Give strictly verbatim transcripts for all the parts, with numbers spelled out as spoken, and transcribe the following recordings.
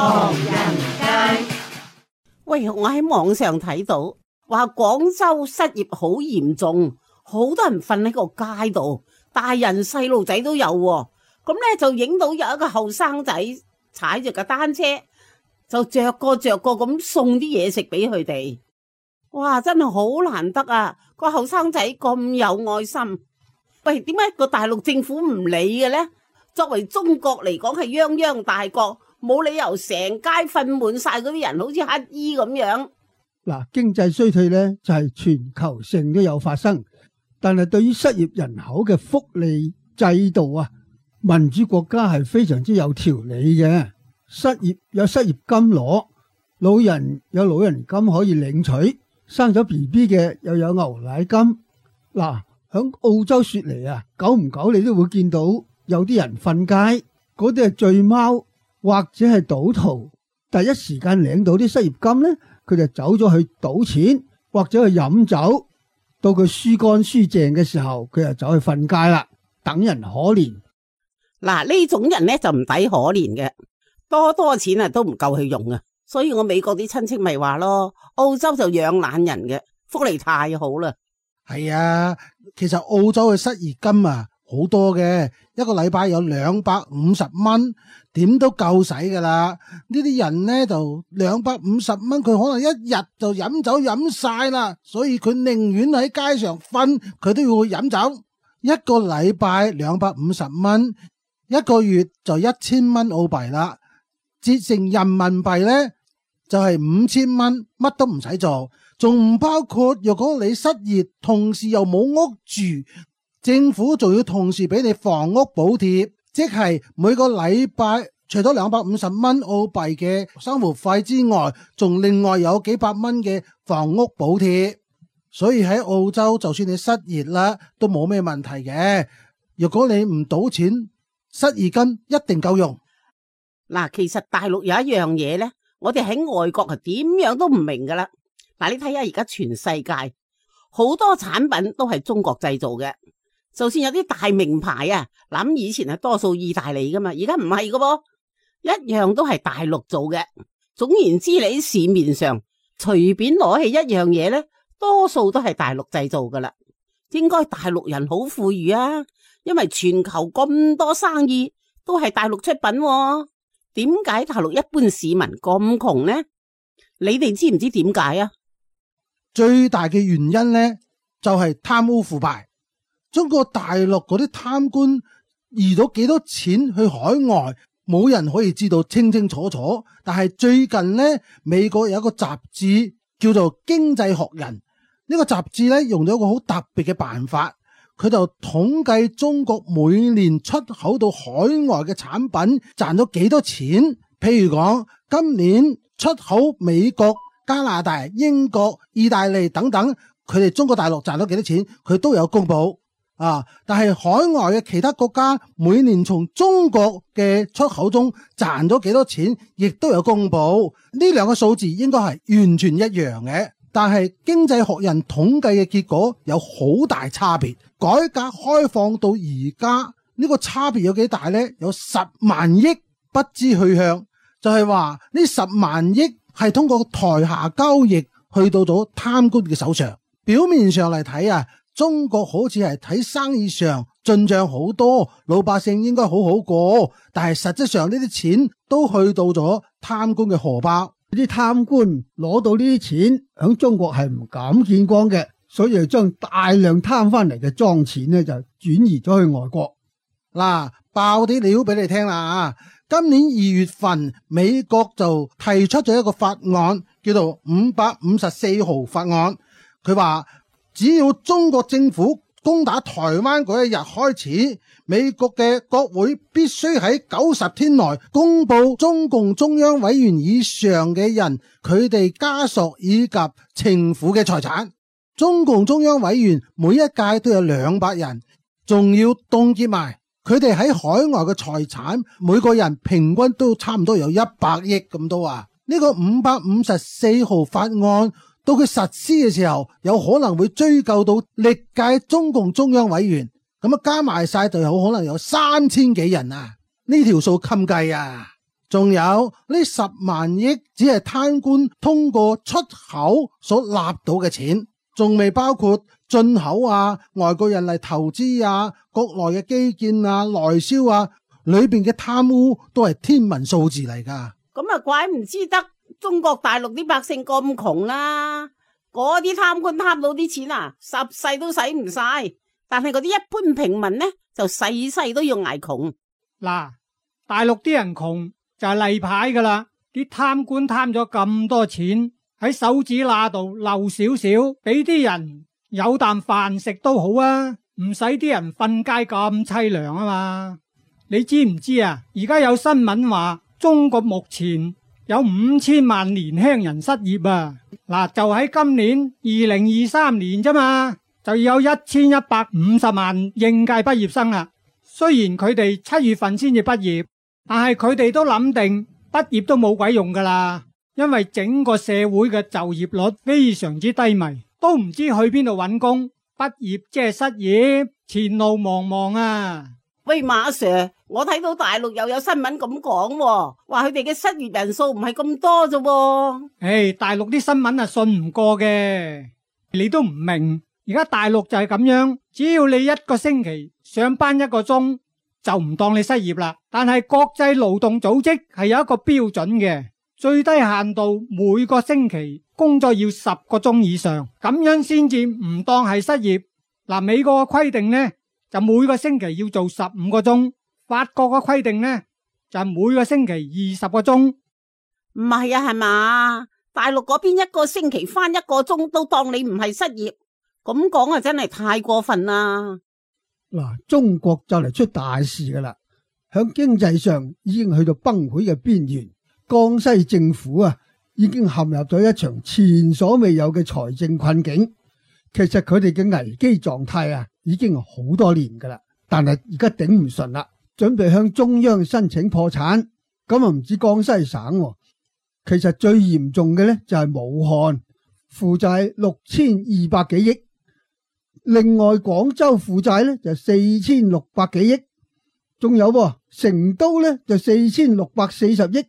唐人街。喂，我喺網上睇到話廣州失業好嚴重，好多人瞓喺個街度，大人細路仔都有喎。咁咧就影到有一個後生仔踩住架單車，就着個着個咁送啲嘢食俾佢哋。哇，真係好難得啊！個後生仔咁有愛心。喂，點解個大陸政府唔理嘅呢？作為中國嚟講係泱泱大國，冇理由成街瞓滿晒嗰啲人，好似乞衣咁樣。嗱，經濟衰退咧就係全球性都有發生，但係對於失業人口嘅福利制度啊，民主國家係非常之有條理嘅。失業有失業金攞，老人有老人金可以領取，生咗 B B 嘅又有牛奶金。嗱，響澳洲雪梨啊，久唔久你都會見到有啲人瞓街，嗰啲係醉貓或者係賭徒，第一時間領到啲失業金呢，佢就走咗去賭錢或者去飲酒，到佢輸乾輸淨嘅時候，佢就走去瞓街啦，等人可憐。嗱，呢種人呢就唔抵可憐嘅，多多錢啊都唔夠佢用啊，所以我美國啲親戚咪話咯，澳洲就養懶人嘅，福利太好啦。係啊，其實澳洲嘅失業金啊好多嘅，一個禮拜有兩百五十蚊，點都夠使噶啦。呢啲人呢就兩百五十蚊，佢可能一日就飲酒飲晒啦，所以佢寧願喺街上瞓，佢都要去飲酒。一個禮拜兩百五十蚊，一個月就一千蚊澳幣啦，折成人民幣呢就係五千蚊，乜都唔使做。仲唔包括若果你失業，同時又冇屋住，政府仲要同時俾你房屋補貼，即係每個禮拜除咗兩百五十蚊澳幣嘅生活費之外，仲另外有幾百蚊嘅房屋補貼。所以喺澳洲，就算你失業啦，都冇咩問題嘅。若果你唔賭錢，失業金一定夠用。嗱，其實大陸有一樣嘢呢，我哋喺外國係點樣都唔明噶啦。嗱，你睇下而家全世界好多產品都係中國製造嘅，就算有啲大名牌啊，諗以前係多數意大利噶嘛，而家唔係噶噃，一樣都係大陸做嘅。總言之，你喺市面上隨便攞起一樣嘢呢，多數都係大陸製造噶啦。應該大陸人好富裕啊，因為全球咁多生意都係大陸出品喎。點解大陸一般市民咁窮呢？你哋知唔知點解啊？最大嘅原因呢，就係貪污腐敗。中國大陸嗰啲貪官移咗幾多錢去海外，冇人可以知道清清楚楚。但係最近呢，美國有一個雜誌叫做《經濟學人》，呢個雜誌呢，用咗一個好特別嘅辦法，佢就統計中國每年出口到海外嘅產品賺咗幾多錢。譬如講，今年出口美國、加拿大、英國、意大利等等，佢哋中國大陸賺咗幾多錢，佢都有公布啊。但係海外嘅其他國家每年從中國嘅出口中賺咗幾多錢，亦都有公布。呢兩個數字應該係完全一樣嘅，但係經濟學人統計嘅結果有好大差別。改革開放到而家呢個差別有幾大呢？有十萬億不知去向，就係話呢十萬億係通過台下交易去到咗貪官嘅手上。表面上嚟睇啊，中國好似係睇生意上進賬好多，老百姓應該好好過，但係實質上呢啲錢都去到咗貪官嘅荷包。啲貪官攞到呢啲錢響中國係唔敢見光嘅，所以就將大量貪翻嚟嘅贓錢呢就轉移咗去外國。嗱，爆啲料俾你聽啦啊！今年二月份，美國就提出咗一個法案，叫做五百五十四號法案。佢話只要中國政府攻打台灣嗰一日開始，美國嘅國會必須喺九十天內公布中共中央委員以上嘅人佢哋家屬以及情婦嘅財產。中共中央委員每一屆都有兩百人，仲要凍結埋佢哋喺海外嘅財產，每個人平均都差唔多有一百億咁多啊！呢個五百五十四號法案到佢實施嘅時候，有可能會追究到歷屆中共中央委員，咁啊加埋晒就有可能有三千幾人啊！呢條數襟計啊！仲有呢十萬億只係貪官通過出口所納到嘅錢，仲未包括進口啊、外國人嚟投資啊、國內嘅基建啊、內銷啊，裏邊嘅貪污都係天文數字嚟噶。咁啊，怪唔知得中國大陸啲百姓咁窮啦。嗰啲貪官貪到啲錢啊，十世都使唔晒，但係嗰啲一般平民呢，就世世都要挨窮。嗱，大陸啲人窮就係例牌噶啦，啲貪官貪咗咁多錢，喺手指罅度漏少少，俾啲人有啖飯食都好啊，唔使啲人瞓街咁淒涼啊嘛。你知唔知啊？而家有新聞話中國目前有五千萬年輕人失業啊！嗱，就喺今年二零二三年啫嘛，就有一千一百五十萬應屆畢業生啦。雖然佢哋七月份先至畢業，但係佢哋都諗定畢業都冇鬼用噶啦，因為整個社會嘅就業率非常之低迷，都唔知去邊度揾工。畢業即係失業，前路茫茫啊！喂，馬 Sir， 我睇到大陸又有新聞咁講，話佢哋嘅失業人數唔係咁多啫。誒、hey, 大陸啲新聞啊信唔過嘅，你都唔明。而家大陸就係咁樣，只要你一個星期上班一個鐘，就唔當你失業啦。但係國際勞動組織係有一個標準嘅，最低限度每個星期工作要十個鐘以上，咁樣先至唔當係失業。嗱，美國嘅規定呢，就每個星期要做十五個鐘，法國嘅規定呢，就每個星期二十個鐘。唔係啊，係嘛？大陸嗰邊一個星期返一個鐘都當你唔係失業，咁講啊真係太過分啦！嗱，中國就嚟出大事噶啦，響經濟上已經去到崩潰嘅邊緣，江西政府啊已經陷入咗一場前所未有嘅財政困境。其實佢哋嘅危機狀態啊已經好多年噶啦，但係而家頂唔順啦，準備向中央申請破產。咁啊唔止江西省，其實最嚴重嘅咧就係武漢，負債六千二百幾億。另外廣州負債咧就四千六百幾億，仲有噃成都咧就四千六百四十億，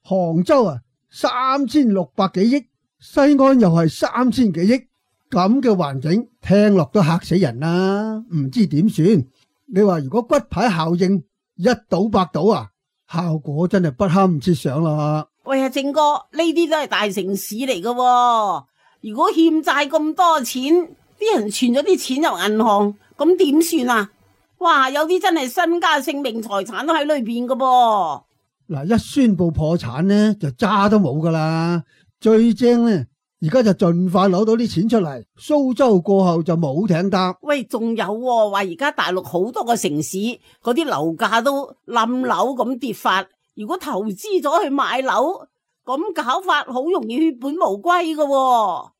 杭州啊三千六百幾億，西安又係三千幾億。咁嘅環境聽落都嚇死人啦，唔知點算。你話如果骨牌效應一倒百倒啊，效果真係不堪設想啦。喂啊，正哥，呢啲都係大城市嚟噶喎，如果欠債咁多錢，啲人存咗啲錢入銀行，咁點算啊？哇，有啲真係身家性命財產都喺裏邊噶噃。嗱，一宣布破產呢，就渣都冇噶啦。最正呢，而家就盡快攞到啲錢出嚟，蘇州過後就冇艇搭。喂，仲有喎，話而家大陸好多個城市嗰啲樓價都冧樓咁跌法，如果投資咗去買樓，咁搞法好容易血本無歸噶喎。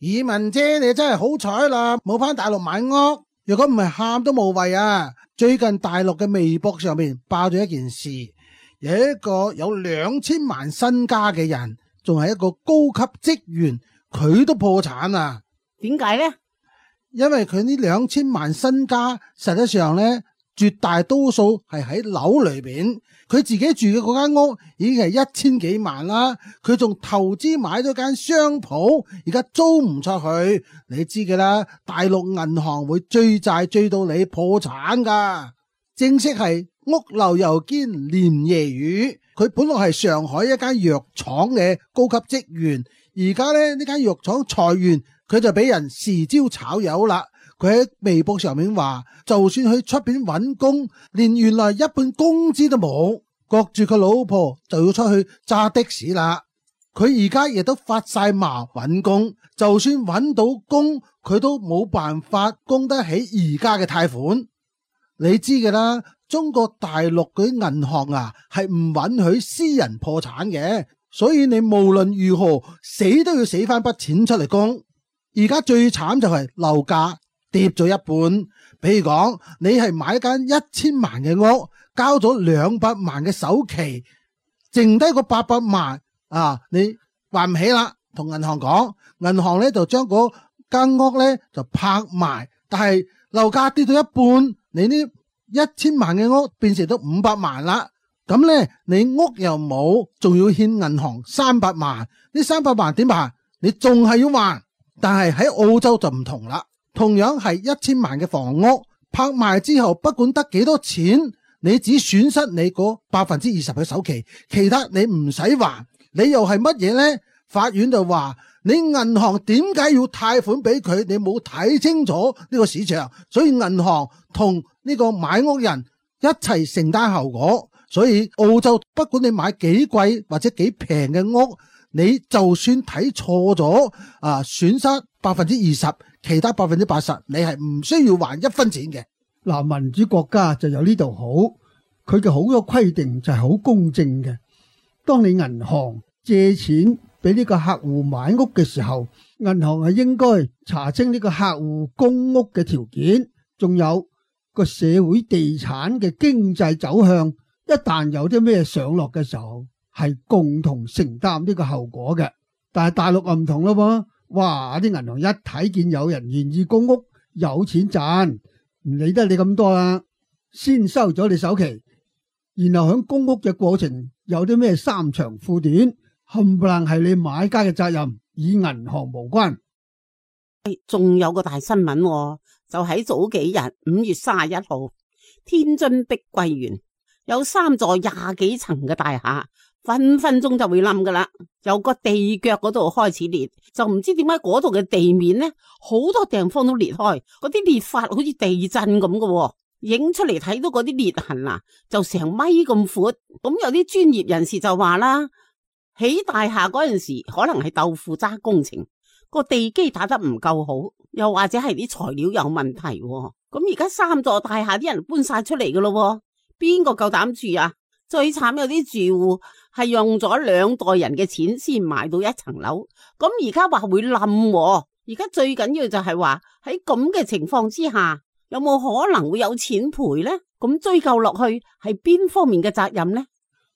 以文姐，你真係好彩啦，冇返大陸買屋。如果唔係喊都無謂啊！最近大陸嘅微博上面爆咗一件事，有一個有兩千萬身家嘅人，仲係一個高級職員，佢都破產啊！點解呢？因為佢呢兩千萬身家，實際上呢，絕大多數係喺樓裏邊。佢自己住嘅嗰間屋已經係一千幾萬啦，佢仲投資買咗間商鋪，而家租唔出去。你知嘅啦，大陸銀行會追債追到你破產噶。正式係屋漏又兼連夜雨。佢本來係上海一間藥廠嘅高級職員，而家咧呢間藥廠裁員，佢就俾人豉椒炒魷啦。佢喺微博上面話，就算去出邊揾工，連原來一半工資都冇，焗住佢老婆就要出去揸的士啦。佢而家亦都發晒矛揾工，就算揾到工，佢都冇辦法供得起而家嘅貸款。你知嘅啦，中國大陸嗰啲銀行啊，係唔允許私人破產嘅，所以你無論如何死都要死翻筆錢出嚟供。而家最慘就係樓價跌咗一半，比如講你係買一間一千萬嘅屋，交咗兩百萬嘅首期，剩低個八百萬啊，你還唔起啦，同銀行講，銀行咧就將嗰間屋咧就拍賣，但係樓價跌到一半，你呢一千萬嘅屋變成咗五百萬啦，咁呢，你屋又冇，仲要欠銀行三百萬，呢三百萬點辦？你仲係要還，但係喺澳洲就唔同啦。同樣係一千萬嘅房屋拍賣之後，不管得幾多錢，你只損失你嗰百分之二十嘅首期，其他你唔使還。你又係乜嘢呢？法院就話你銀行點解要貸款俾佢？你冇睇清楚呢個市場，所以銀行同呢個買屋人一齊承擔後果。所以澳洲不管你買幾貴或者幾平嘅屋，你就算睇錯咗啊，損失百分之二十，其他百分之八十，你係唔需要還一分錢嘅。嗱，民主國家就有呢度好，佢嘅好多規定就係好公正嘅。當你銀行借錢俾呢個客戶買屋嘅時候，銀行係應該查清呢個客戶供屋嘅條件，仲有個社會地產嘅經濟走向。一旦有啲咩上落嘅時候，係共同承擔呢個後果嘅。但係大陸啊唔同咯噃，哇！啲銀行一睇見有人願意供屋，有錢賺，唔理得你咁多啦，先收咗你首期，然後喺供屋嘅過程有啲咩三長褲短，冚唪唥係你買家嘅責任，與銀行無關。仲有個大新聞喎，就喺早幾日五月三十一號，天津碧桂園有三座廿幾層嘅大廈，分分鐘就會冧噶啦。由個地腳嗰度開始裂，就唔知點解嗰度嘅地面呢，好多地方都裂開，嗰啲裂法好似地震咁嘅喎。影出嚟睇到嗰啲裂痕啊，就成米咁闊。咁有啲專業人士就話啦，起大廈嗰陣時可能係豆腐渣工程，個地基打得唔夠好，又或者係啲材料有問題喎。咁而家三座大廈啲人搬晒出嚟噶咯。邊個夠膽住啊？最慘有啲住戶係用咗兩代人嘅錢先買到一層樓，咁而家話會冧，而家最緊要就係話喺咁嘅情況之下，有冇可能會有錢賠呢？咁追究落去係邊方面嘅責任呢？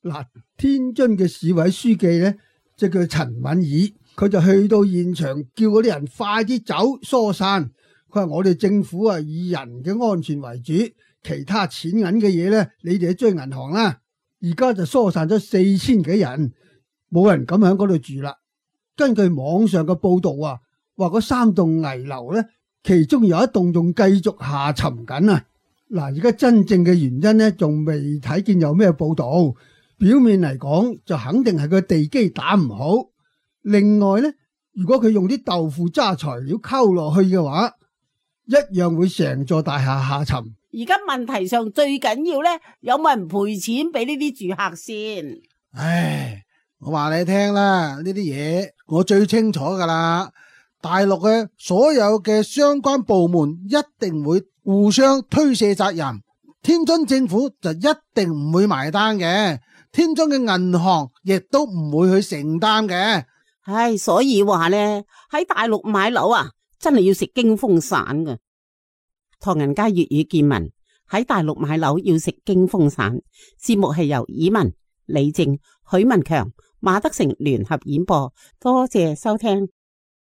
嗱，天津嘅市委書記呢，就叫陳敏爾，佢就去到現場叫嗰啲人快啲走疏散。佢話我哋政府啊以人嘅安全為主。其他錢銀嘅嘢呢，你哋去追銀行啦。而家就疏散咗四千幾人，冇人敢喺嗰度住啦。根據網上嘅報道啊，話嗰三棟危樓呢，其中有一棟仲繼續下沉緊啊。嗱，而家真正嘅原因呢，仲未睇見有咩報道。表面嚟講就肯定係個地基打唔好。另外呢，如果佢用啲豆腐渣材料溝落去嘅話，一樣會成座大廈下沉。而家問題上最緊要咧，有冇人賠錢俾呢啲住客先？唉，我話你聽啦，呢啲嘢我最清楚噶啦。大陸嘅所有嘅相關部門一定會互相推卸責任，天津政府就一定唔會埋單嘅，天津嘅銀行亦都唔會去承擔嘅。唉，所以話咧，喺大陸買樓啊，真係要食驚風散噶。唐人街粵語見聞，喺大陸買樓要食驚風散。節目係由以文、李靜、許文強、馬德成聯合演播，多謝收聽。